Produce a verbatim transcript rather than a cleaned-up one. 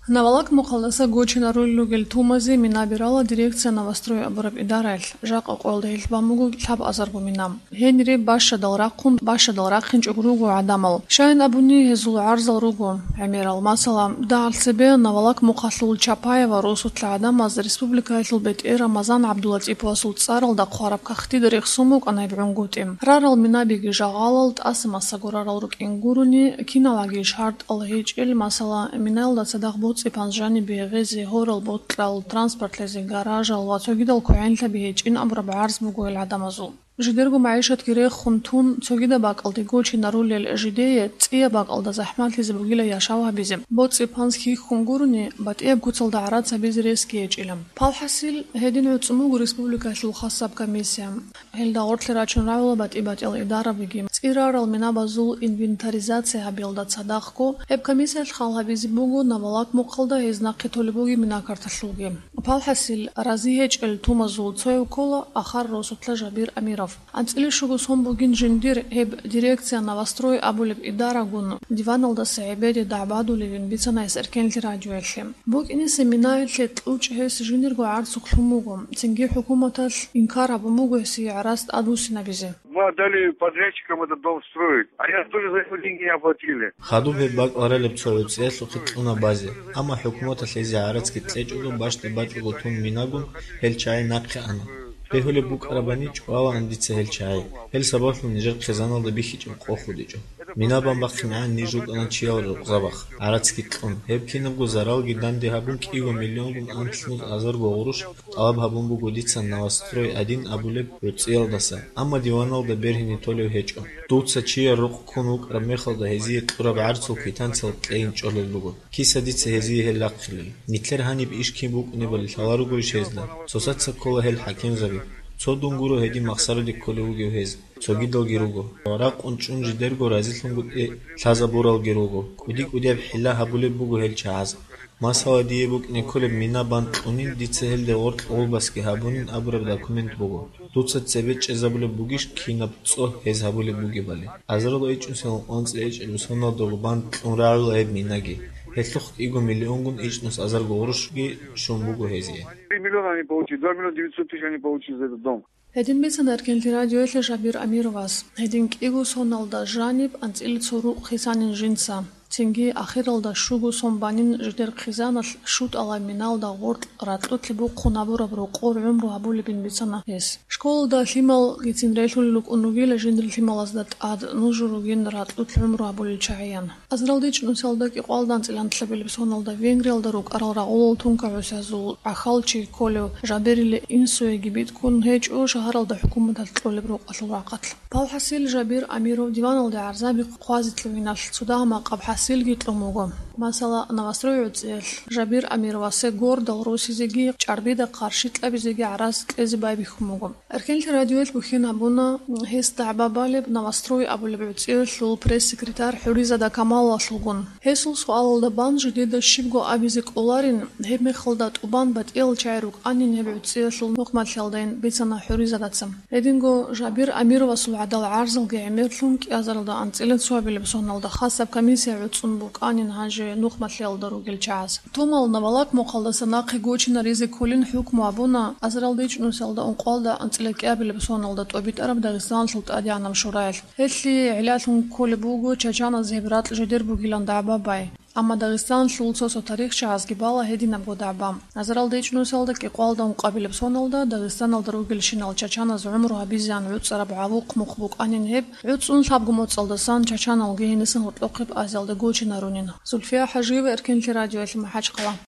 Навалак мухъалдаса гочинарулел ругел тумазе мина берала дирекция «Новострой» абураб идараялъ. Жакъа къоялда гьелъ бан буго лъабазарго мина. Гьенире бащадал рахъун, бащадал рахъинчӀого руго гӀадамал. Щайин абуни, гьезул гӀарзал руго гӀемерал. Масала, дагьал цебе Навалак мухъалъул Чапаева росулъа гӀадамаз республикаялъул бетӀер Рамазан ГӀабдулатӀиповасул цӀаралда хъвараб кагътида рехсон букӀана гьеб гӀунгутӀи. Рарал минабиги жагъалал, тӀаса массаго рарал рукӀин гурони, киналги шартӀал гьечӀел, масала, минаялда цадахъ боцӀи-панс жанибе гъезе, гьорал бокьал, транспортлъизе, гаражал ва цогидал квегӀенлъаби гьечӀин абураб гӀарз буго гьел гӀадамазул. Жидерго магӀишатги рехун тун, цогидаб бакӀалде гочинарулел жидее цӀияб бакӀалда захӀматлъизе бугила яшав гьабизе. БоцӀи-панс хьихьун гурони, батӀияб куцалда гӀарац гьабизе ресги гьечӀила. Палхасил, гьедин гӀуцӀун буго республикалъул хасаб комиссия. Гьелда гъорлъе рачун рагӀула батӀи-батӀиял идарабиги. ЦӀирарал минабазул инвентаризация гьабиялда цадахъго, гьеб комиссиялъ хал гьабизе буго Навалак мухъалда гьез нахъе толеб бугеб минакарталъулги. Палхасил, рази гьечӀел тумазул цояв ккола ахар росулъа Жабир Амиров. АнцӀила щуго сон бугин жиндир гьеб дирекция «Новострой» абулеб идарагун диваналдаса гӀебеде дагӀбадулевин бицана гьес Эркенлъи радиоялъе. БукӀине семинаялъе кьучӀ гьес жиндирго гӀарцухълъун буго, цинги хӀукуматалъ инкар гьабун буго гьесие гӀарац тӀадвуссинабизе. Мы отдали подрядчикам этот дом строить, а я тоже за него деньги не оплатили. Хадуб гьеб бакӀ баралеб цо гӀуцӀиялъухъе кьуна базе, амма хӀукуматалъ гьезие гӀарацги кьечӀого, бащдаб бачӀого тун минагун гьел чагӀи нахъе ана. Бегьулеб букӀарабани чӀвалаан дица гьел чагӀи. Гьел сабаблъун нижер хъизаналда бихьичӀеб къо худичӀо. Мина бан бахъинегӀан ниж рукӀана чиял рукъзабахъ, гӀарацги кьун. Гьеб кинабго заралги данде гьабун, кӀиго миллионгун анлънус азарго гъурущ тӀалаб гьабун буго дица «Новострой один» абулеб гӀуцӀиялдаса, амма диваналда бергьине толев гьечӀо. Дуца чияр рукъ ккун вукӀараб мехалда гьезие кьураб гӀарцул квитанциялъ кьейин чӀолел руго. Киса дица гьезие гьел рахъилел? Нилъер гьаниб иш кин букӀунебали лъаларогойищ гьезда? Цоцаца ккола гьел хӀакимзаби. Цо дун гуро гьедин махсароде кколев вугев гьез. Цогидалги руго. Ракъун чӀун жидерго разилъунгутӀи лъазабуралги руго. КӀуди-кӀудияб хӀилла гьабулеб буго гьел чагӀаз. Масала, дие букӀине кколеб мина бан кьунин, дица гьелде гъоркь гъулбасги гьабунин абураб документ буго. Дуца цебе чӀезабулеб бугищ кинаб цӀо гьез гьабулеб бугебали? Азарилда ичӀнусилан анцӀила ичӀабилеб соналдаго бан кьун рагӀула гьеб минаги. Гьелъухъ кӀиго миллионгун ичӀнус азарго гъурущги щун буго гьезие. Три миллиона они получили, два миллиона девятьсот тысяч они получили за этот дом. Гьедин бицана Эркенлъи радиоялъе Жабир Амировас. Гьедин кӀиго соналда жаниб анцӀила цо рукъ хисанин жинца. Цинги ахиралда щуго сон банин жидер хъизаналъ шутӀала миналда гъоркь ракьулъе бухъун гьабураб рокъор гӀумру гьабулебин бицана гьес. Школалда лъималгицин релълъулел рукӀун ругила жиндир лъималазда тӀад нуж ругин ракьулъ гӀумру гьабулел чагӀиян. Азарилда ичӀнусиялда кӀикъоялда анцӀила анлъабилеб соналда Венгриялда рукӀарал рагъулал тункагӀусиязул гӀахьалчи кколев Жабирил инсуеги биткун гьечӀо шагьаралда хӀукуматалъ кьолеб рукъалъул рахъалъ. Палхасил, Жабир Амиров диваналде гӀарзаби хъвазе кьавиналъ цо дагьа-макъаб хӀасилги кьун буго. Масала, «Новострой» гӀуцӀиялъ Жабир Амировасе гордал росизеги чӀарбида къарши кьабизеги гӀарац кьезе байбихьун буго. Эркенлъи радиоялъ бухьен гьабуна гьес дагӀба балеб «Новострой» абулеб гӀуцӀиялъул пресс-секретарь ХӀуризада Камалалъулгун. Гьесул суалалда бан жидеда щибго абизе кӀоларин, гьеб мехалда тӀубан батӀиял чагӀи рукӀанин гьеб гӀуцӀиялъул нухмалъиялдайин бицана ХӀуризадаца. Гьединго Жабир Амировасул гӀадал гӀарзалги гӀемерлъун кӀиазаралда анцӀила цоабилеб соналда хасаб комиссия гӀуцӀун букӀанин гьанже нухмалъиялда ругел чагӀаз. Тумал Навалак мухъалдаса нахъе гочинаризе кколин хӀукму гьабуна азарилда ичӀнусиялда ункъоялда анцӀила кӀиабилеб соналда тӀобитӀараб Дагъистаналъул ТӀадегӀанаб шураял. Гьелъие гӀиллалъун кколеб буго чачаназ гьеб ракь жидер бугилан дагӀба бай. Амма Дагъистаналъул цо-цо тарихчагӀазги бала гьединабго дагӀба. Азарилда ичӀнусиялда кӀикъоялда ункъабилеб соналда Дагъистаналда ругелщинал чачаназ гӀумру гьабизеян гӀуцӀараб гӀавухъ мухъ букӀанин гьеб, гӀуцӀун лъабго моцӀалдасан чачаналги гьенисан гьоркьохъеб Азиялда гочинарунин. Зульфия ХӀажиева, Эркенлъи радиоялъ, МахӀачхъала.